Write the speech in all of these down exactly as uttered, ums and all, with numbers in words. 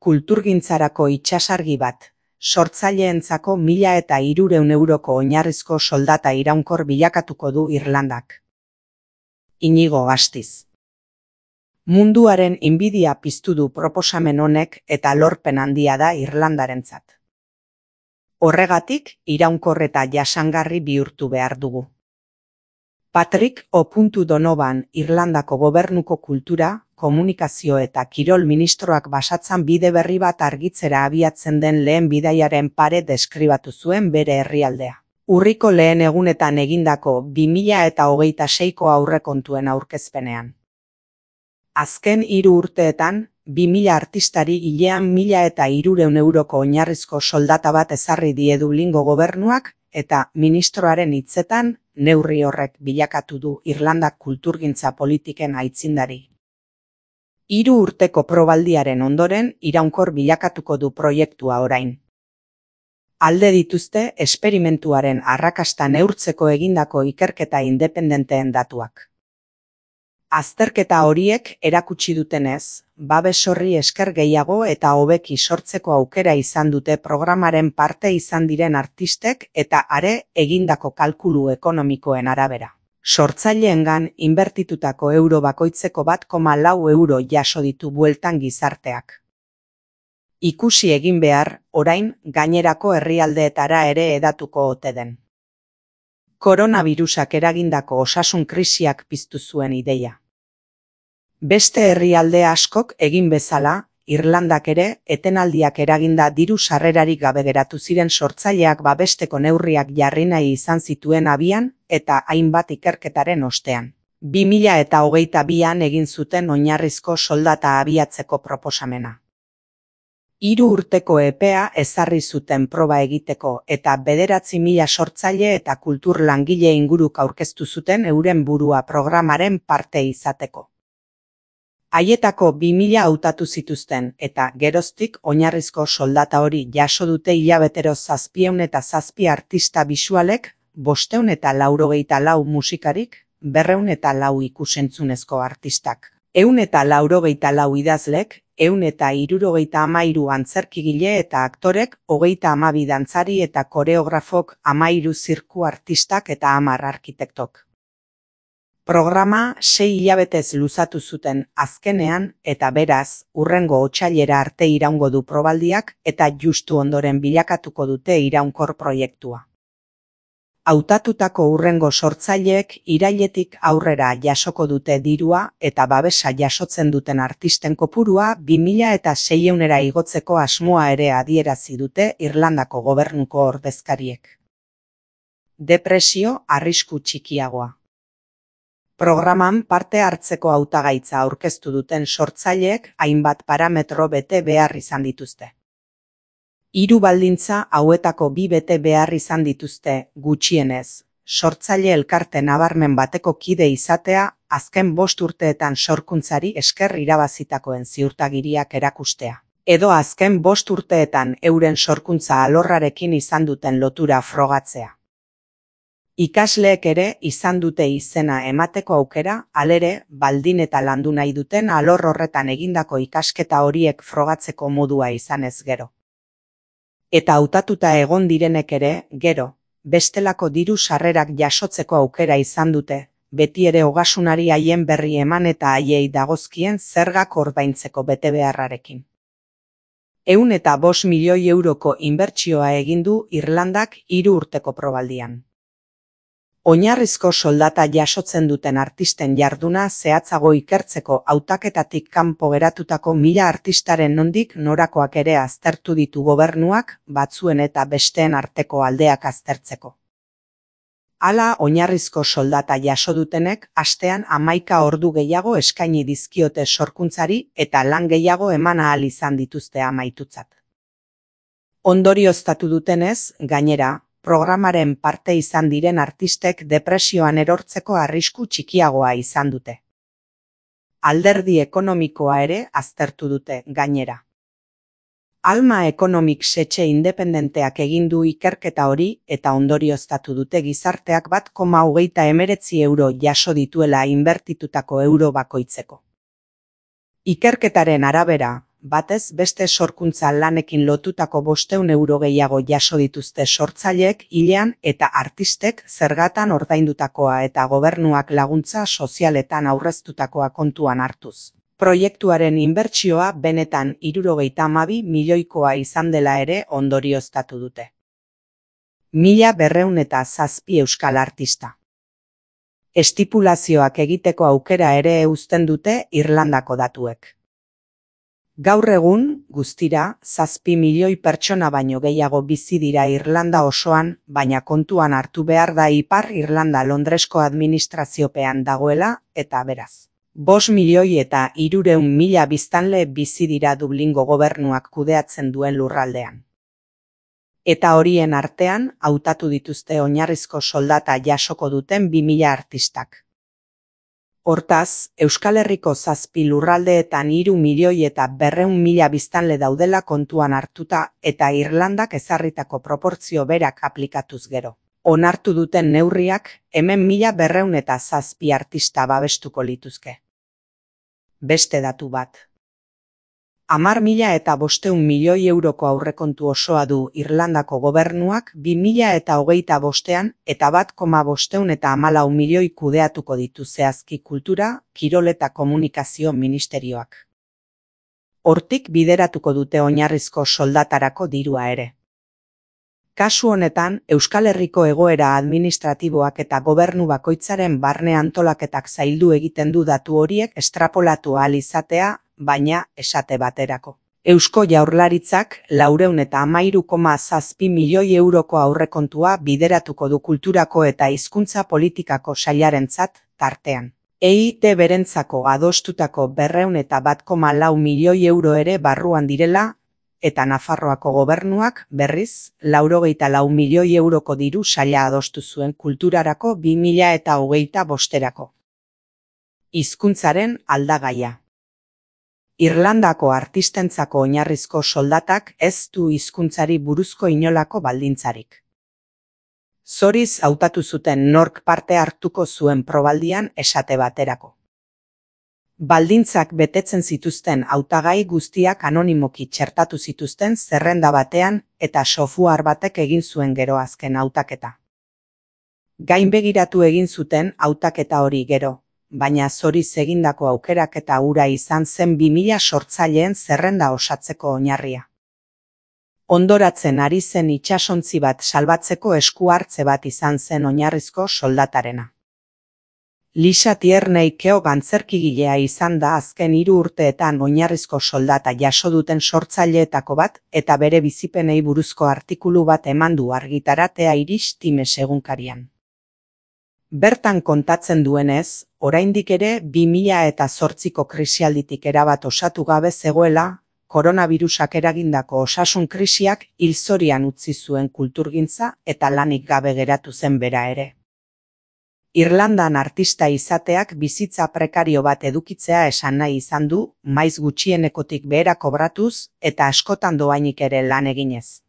Kulturgintzarako itsasargi bat, sortzaileentzako mila eta hirurehun euroko oinarrizko soldata iraunkor bilakatuko du Irlandak. Inigo Astiz. Munduaren inbidia piztu du proposamen honek eta lorpen handia da Irlandarentzat. Horregatik, iraunkor eta jasangarri bihurtu behar dugu. Patrick O'Donovan Irlandako gobernuko kultura, komunikazio eta kirol ministroak basatzan bide berri bat argitzera abiatzen den lehen bidaiaren pare deskribatu zuen bere herrialdea. Urriko lehen egunetan egindako bi mila eta hogeita seiko aurrekontuen aurkezpenean. Azken hiru urteetan, bi mila artistari hilean mila eta hirurehun euroko oinarrizko soldata bat ezarri die Dublingo gobernuak, eta ministroaren hitzetan, neurri horrek bilakatu du Irlandak kulturgintza politiken aitzindari. Hiru urteko probaldiaren ondoren iraunkor bilakatuko du proiektua orain. Alde dituzte esperimentuaren arrakasta neurtzeko egindako ikerketa independenteen datuak. Azterketa horiek erakutsi dutenez, babes horri esker gehiago eta hobeki sortzeko aukera izan dute programaren parte izan diren artistek eta are egindako kalkulu ekonomikoen arabera. Sortzaileengan inbertitutako euro bakoitzeko bat koma lau euro jaso ditu bueltan gizarteak. Ikusi egin behar, orain, gainerako herrialdeetara ere hedatuko ote den. Koronavirusak eragindako osasun krisiak piztu zuen ideia. Beste herrialde askok egin bezala, Irlandak ere, etenaldiak eraginda diru sarrerarik gabe geratu ziren sortzaileak babesteko neurriak jarri nahi izan zituen abian eta hainbat ikerketaren ostean. bi mila eta hogeita bian egin zuten oinarrizko soldata abiatzeko proposamena. Hiru urteko epea ezarri zuten proba egiteko eta bederatzi mila sortzaile eta kultur langile inguruk aurkeztu zuten euren burua programaren parte izateko. Haietako bi mila hautatu zituzten eta geroztik oinarrizko soldata hori jaso dute hilabetero zazpiehun eta zazpi artista bisualek, bostehun eta laurogeita lau musikarik, berrehun eta lau ikusentzunezko artistak, ehun eta laurogeita lau idazlek, ehun eta hirurogeita hamairu antzerkigile eta aktorek, hogeita hamabi dantzari eta koreografok, hamairu zirku artistak eta hamar arkitektok. Programa sei hilabetez luzatu zuten azkenean eta beraz, hurrengo otsailera arte iraungo du probaldiak eta justu ondoren bilakatuko dute iraunkor proiektua. Hautatutako hurrengo sortzaileek irailetik aurrera jasoko dute dirua eta babesa jasotzen duten artisten kopurua bi mila eta seiehunera igotzeko asmoa ere adierazi dute Irlandako gobernuko ordezkariek. Depresio arrisku txikiagoa. Programan parte hartzeko hautagaitza aurkeztu duten sortzaileek hainbat parametro bete behar izan dituzte. Hiru baldintza hauetako bi bete behar izan dituzte, gutxienez, sortzaile elkarte nabarmen bateko kide izatea, azken bost urteetan sorkuntzari esker irabazitakoen ziurtagiriak erakustea, edo azken bost urteetan euren sorkuntza alorrarekin izan duten lotura frogatzea. Ikasleek ere izan dute izena emateko aukera, halere, baldin eta landu nahi duten alor horretan egindako ikasketa horiek frogatzeko modua izanez gero. Eta hautatuta egon direnek ere, gero, bestelako diru sarrerak jasotzeko aukera izan dute, beti ere ogasunari haien berri eman eta haiei dagozkien zergak ordaintzeko betebeharrarekin. Ehun eta bost milioi euroko inbertsioa egin du Irlandak hiru urteko probaldian. Oinarrizko soldata jasotzen duten artisten jarduna zehatzago ikertzeko hautaketatik kanpo geratutako mila artistaren nondik norakoak ere aztertu ditu gobernuak, batzuen eta besteen arteko aldeak aztertzeko. Hala, oinarrizko soldata jaso dutenek astean hamaika ordu gehiago eskaini dizkiote sorkuntzari eta lan gehiago eman ahal izan dituzte amaitutzat. Ondorioztatu dutenez, gainera, programaren parte izan diren artistek depresioan erortzeko arrisku txikiagoa izan dute. Alderdi ekonomikoa ere aztertu dute gainera. Alma Economics etxe independenteak egin du ikerketa hori eta ondorioztatu dute gizarteak bat koma hogeita hemeretzi euro jaso dituela inbertitutako euro bakoitzeko. Ikerketaren arabera, batez beste sorkuntza lanekin lotutako bostehun euro gehiago jaso dituzte sortzaileek hilean eta artistek zergatan ordaindutakoa eta gobernuak laguntza sozialetan aurreztutakoa kontuan hartuz. Proiektuaren inbertsioa benetan hirurogeita hamabi milioikoa izan dela ere ondorioztatu dute. Mila berrehun eta zazpi euskal artista. Estipulazioak egiteko aukera ere uzten dute Irlandako datuek. Gaur egun, guztira, zazpi milioi pertsona baino gehiago bizi dira Irlanda osoan, baina kontuan hartu behar da Ipar Irlanda Londresko administraziopean dagoela, eta beraz. Bost milioi eta hirurehun mila biztanle bizi dira Dublingo gobernuak kudeatzen duen lurraldean. Eta horien artean, hautatu dituzte oinarrizko soldata jasoko duten bi mila artistak. Hortaz, Euskal Herriko zazpi lurraldeetan hiru milioi eta berrehun mila biztanle daudela kontuan hartuta eta Irlandak ezarritako proportzio berak aplikatuz gero. Onartu duten neurriak, hemen mila berrehun eta zazpi artista babestuko lituzke. Beste datu bat. Hamar mila eta bostehun milioi euroko aurrekontu osoa du Irlandako gobernuak bi mila eta hogeita bostean eta bat koma bostehun eta hamalau milioi kudeatuko ditu zehazki kultura, kirol eta komunikazio ministerioak. Hortik bideratuko dute oinarrizko soldatarako dirua ere. Kasu honetan, Euskal Herriko egoera administratiboak eta gobernu bakoitzaren barne antolaketak zaildu egiten du datu horiek estrapolatu ahal izatea, baina esate baterako. Eusko Jaurlaritzak laurehun eta hamairu koma zazpi milioi euroko aurrekontua bideratuko du kulturako eta hizkuntza politikako sailarentzat tartean. E I T berentzako adostutako berrehun eta bat koma lau milioi euro ere barruan direla, eta Nafarroako gobernuak, berriz, laurogeita lau milioi euroko diru saila adostu zuen kulturarako bi mila eta hogeita bosterako. Hizkuntzaren aldagaia. Irlandako artistentzako oinarrizko soldatak ez du hizkuntzari buruzko inolako baldintzarik. Zoriz hautatu zuten nork parte hartuko zuen probaldian esate baterako. Baldintzak betetzen zituzten hautagai guztiak anonimoki txertatu zituzten zerrenda batean eta software batek egin zuen gero azken hautaketa. Gainbegiratu egin zuten hautaketa hori gero, baina zoriz egindako aukeraketa hura izan zen bi mila sortzaileen zerrenda osatzeko oinarria. Ondoratzen ari zen itsasontzi bat salbatzeko esku hartze bat izan zen oinarrizko soldatarena. Lisa Tierney Keogh antzerkigilea izan da azken hiru urteetan oinarrizko soldata jaso duten sortzaileetako bat eta bere bizipenei buruzko artikulu bat eman du argitaratea Irish Times egunkarian. Bertan kontatzen duenez, oraindik ere bi mila eta zortziko krisialditik erabat osatu gabe zegoela, koronabirusak eragindako osasun krisiak hilzorian utzi zuen kulturgintza eta lanik gabe geratu zen bera ere. Irlandan artista izateak bizitza prekario bat edukitzea esan nahi izan du, maiz gutxienekotik behera kobratuz eta askotan doainik ere lan eginez.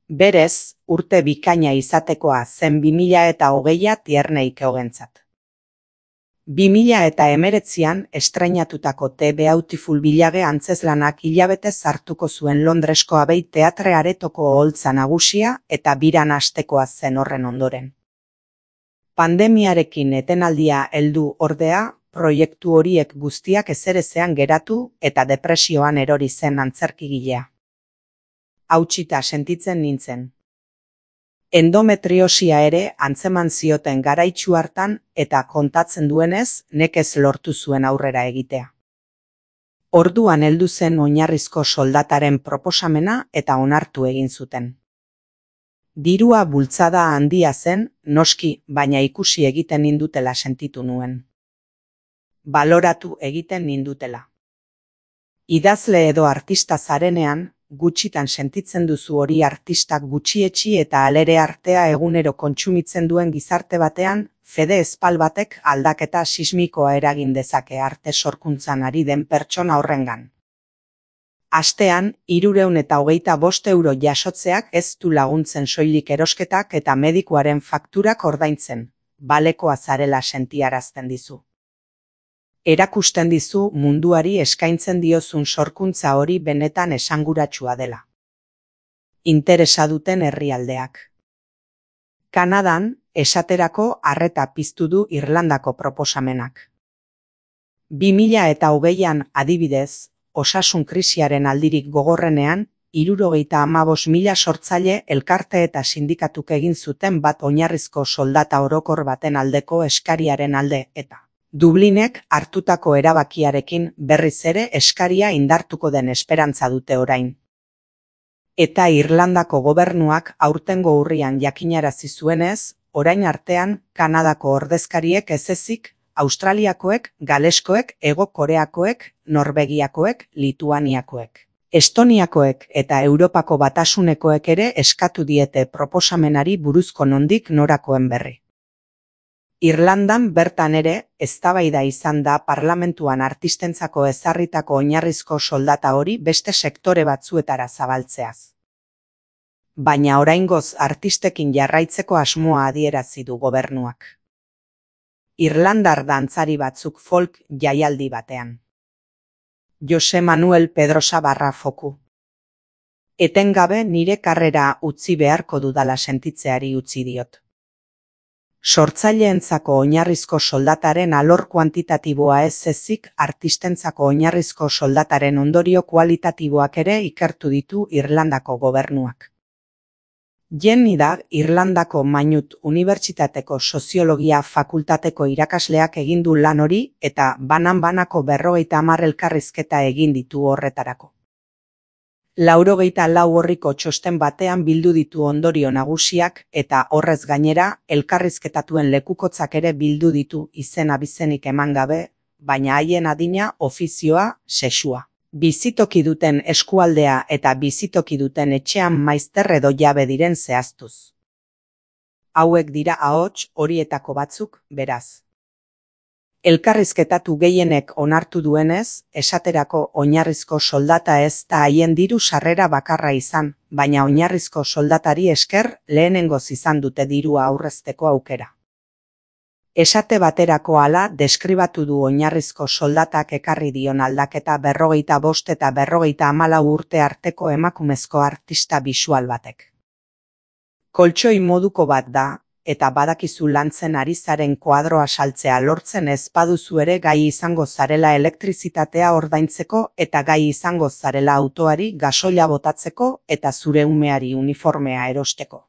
Berez, urte bikaina izatekoa zen bi mila eta hogeia Tierney Keogentzat. bi mila eta hemeretzian estrainatutako The Beautiful Village antzezlanak hilabetez hartuko zuen Londresko Abbey Teatre aretoko oholtza nagusia eta biran hastekoa zen horren ondoren. Pandemiarekin etenaldia heldu ordea, proiektu horiek guztiak ezerezean geratu eta depresioan erori zen antzerkigilea. Hautsita sentitzen nintzen. Endometriosia ere antzeman zioten garaitsu hartan eta kontatzen duenez nekez lortu zuen aurrera egitea. Orduan heldu zen oinarrizko soldataren proposamena eta onartu egin zuten. Dirua bultzada handia zen, noski, baina ikusi egiten nindutela sentitu nuen. Baloratu egiten nindutela. Idazle edo artista zarenean, gutxitan sentitzen duzu hori artistak gutxietsi eta alere artea egunero kontsumitzen duen gizarte batean, fede espal batek aldaketa sismikoa eragin dezake arte sorkuntzan ari den pertsona horrengan. Astean, hirurehun eta hogeita bost euro jasotzeak ez du laguntzen soilik erosketak eta medikuaren fakturak ordaintzen, balekoa zarela sentiarazten dizu. Erakusten dizu munduari eskaintzen diozun sorkuntza hori benetan esanguratsua dela. Interesa duten herrialdeak. Kanadan, esaterako arreta piztu du Irlandako proposamenak. bi mila eta hogeian adibidez, osasun krisiaren aldirik gogorrenean, hirurogeita hamabost mila sortzaile elkarte eta sindikatuk egin zuten bat oinarrizko soldata orokor baten aldeko eskariaren alde eta Dublinek hartutako erabakiarekin berriz ere eskaria indartuko den esperantza dute orain. Eta Irlandako gobernuak aurtengo urrian jakinarazi zuenez, orain artean Kanadako ordezkariek ez ezik, Australiakoek, Galeskoek, Hego Koreakoek, Norvegiakoek, Lituaniakoek, Estoniakoek eta Europako Batasunekoek ere eskatu diete proposamenari buruzko nondik norakoen berri. Irlandan bertan ere, eztabaida izan da parlamentuan artistentzako ezarritako oinarrizko soldata hori beste sektore batzuetara zabaltzeaz. Baina oraingoz artistekin jarraitzeko asmoa adierazi du gobernuak. Irlandar dantzari batzuk folk jaialdi batean. Jose Manuel Pedrosa barra foku. Etengabe nire karrera utzi beharko dudala sentitzeari utzi diot. Sortzaileentzako oinarrizko soldataren alor kuantitatiboa ez ezik artistentzako oinarrizko soldataren ondorio kualitatiboak ere ikertu ditu Irlandako gobernuak. Jenny da Irlandako Maynooth Unibertsitateko Soziologia Fakultateko irakasleak egin du lan hori eta banan-banako berrogeita hamar elkarrizketa egin ditu horretarako. Laurogeita lau orriko txosten batean bildu ditu ondorio nagusiak eta horrez gainera elkarrizketatuen lekukotzak ere bildu ditu izen abizenik eman gabe, baina haien adina, ofizioa, sexua. Bizitoki duten eskualdea eta bizitoki duten etxean maizter edo jabe diren zehaztuz. Hauek dira ahots horietako batzuk, beraz. Elkarrizketatu gehienek onartu duenez, esaterako oinarrizko soldata ez da haien diru sarrera bakarra izan, baina oinarrizko soldatari esker lehenengoz izan dute dirua aurrezteko aukera. Esate baterako hala deskribatu du oinarrizko soldatak ekarri dion aldaketa berrogeita bost eta berrogeita hamalau urte arteko emakumezko artista bisual batek. Koltxoi moduko bat da, eta badakizu lantzen ari zaren koadroa saltzea lortzen ez baduzu ere gai izango zarela elektrizitatea ordaintzeko eta gai izango zarela autoari gasoila botatzeko eta zure umeari uniformea erosteko.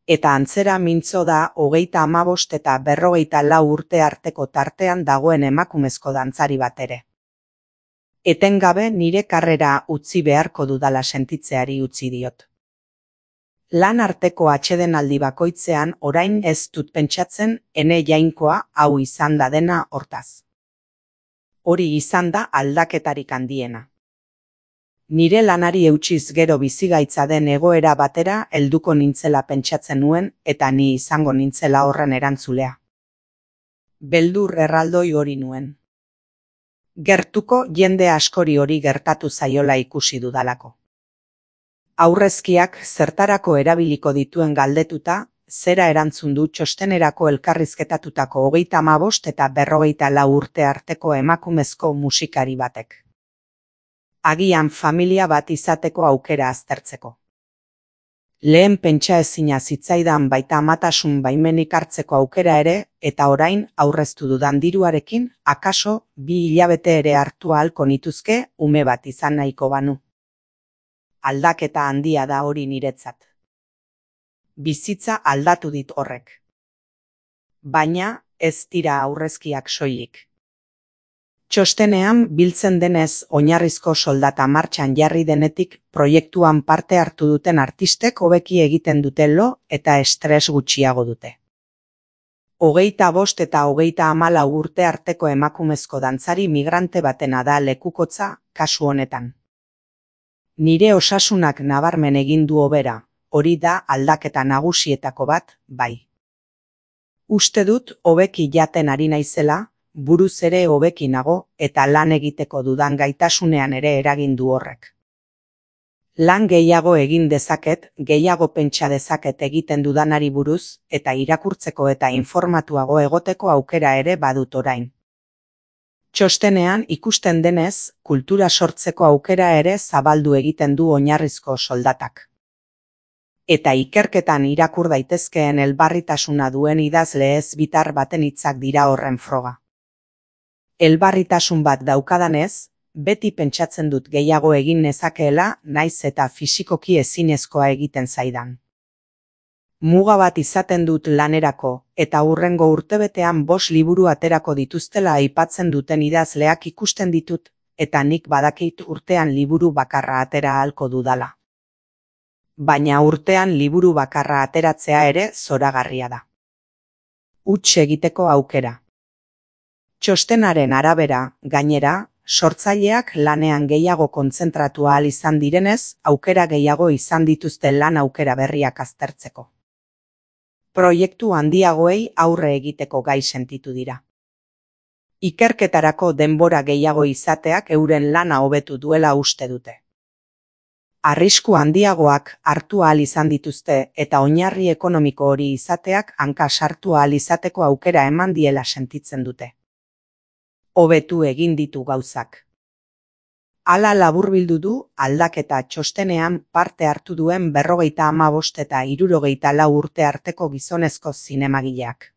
Eta antzera mintzo da hogeita hamabost eta berrogeita lau urte arteko tartean dagoen emakumezko dantzari bat ere. Etengabe nire karrera utzi beharko dudala sentitzeari utzi diot. Lan arteko atsedenaldi bakoitzean orain ez dut pentsatzen ene jainkoa hau izan da dena hortaz. Hori izan da aldaketarik handiena. Nire lanari eutsiz gero bizigaitza den egoera batera helduko nintzela pentsatzen nuen eta ni izango nintzela horren erantzulea. Beldur erraldoi hori nuen. Gertuko jende askori hori gertatu zaiola ikusi dudalako. Aurrezkiak zertarako erabiliko dituen galdetuta, zera erantzun du txostenerako elkarrizketatutako hogeita hamabost eta berrogeita lau urte arteko emakumezko musikari batek. Agian familia bat izateko aukera aztertzeko. Lehen pentsa ezina zitzaidan baita amatasun baimenik hartzeko aukera ere, eta orain aurreztu dudan diruarekin, akaso bi hilabete ere hartu ahalko nituzke ume bat izan nahiko banu. Aldaketa handia da hori niretzat. Bizitza aldatu dit horrek. Baina ez dira aurrezkiak soilik. Txostenean biltzen denez oinarrizko soldata martxan jarri denetik proiektuan parte hartu duten artistek hobeki egiten dute lo eta estres gutxiago dute. Hogeita bost eta hogeita hamalau urte arteko emakumezko dantzari migrante batena da lekukotza kasu honetan. Nire osasunak nabarmen egin du hobera, hori da aldaketa nagusietako bat, bai. Uste dut hobeki jaten ari naizela, buruz ere hobeki nago eta lan egiteko dudan gaitasunean ere eragin du horrek. Lan gehiago egin dezaket, gehiago pentsa dezaket egiten dudanari buruz eta irakurtzeko eta informatuago egoteko aukera ere badut orain. Txostenean ikusten denez, kultura sortzeko aukera ere zabaldu egiten du oinarrizko soldatak. Eta ikerketan irakur daitezkeen elbarritasuna duen idazle ezbitar baten hitzak dira horren froga. Elbarritasun bat daukadanez, beti pentsatzen dut gehiago egin nezakeela, naiz eta fisikoki ezinezkoa egiten zaidan. Muga bat izaten dut lanerako, eta hurrengo urtebetean bost liburu aterako dituztela aipatzen duten idazleak ikusten ditut, eta nik badakit urtean liburu bakarra atera ahalko dudala. Baina urtean liburu bakarra ateratzea ere zoragarria da. Huts egiteko aukera. Txostenaren arabera, gainera, sortzaileak lanean gehiago kontzentratu ahal izan direnez, aukera gehiago izan dituzte lan aukera berriak aztertzeko. Proiektu handiagoei aurre egiteko gai sentitu dira. Ikerketarako denbora gehiago izateak euren lana hobetu duela uste dute. Arrisku handiagoak hartu ahal izan dituzte eta oinarri ekonomiko hori izateak hanka sartu ahal izateko aukera eman diela sentitzen dute. Hobetu egin ditu gauzak. Hala laburbildu du aldaketa txostenean parte hartu duen berrogeita hamabost eta hirurogeita lau urte arteko gizonezko zinemagileak.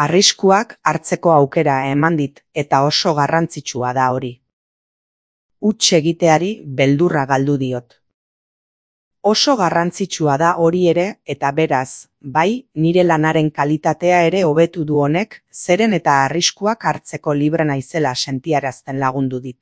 Arriskuak hartzeko aukera eman dit eta oso garrantzitsua da hori. Huts egiteari beldurra galdu diot. Oso garrantzitsua da hori ere eta beraz, bai, nire lanaren kalitatea ere hobetu du honek, zeren eta arriskuak hartzeko libre naizela sentiarazten lagundu dit.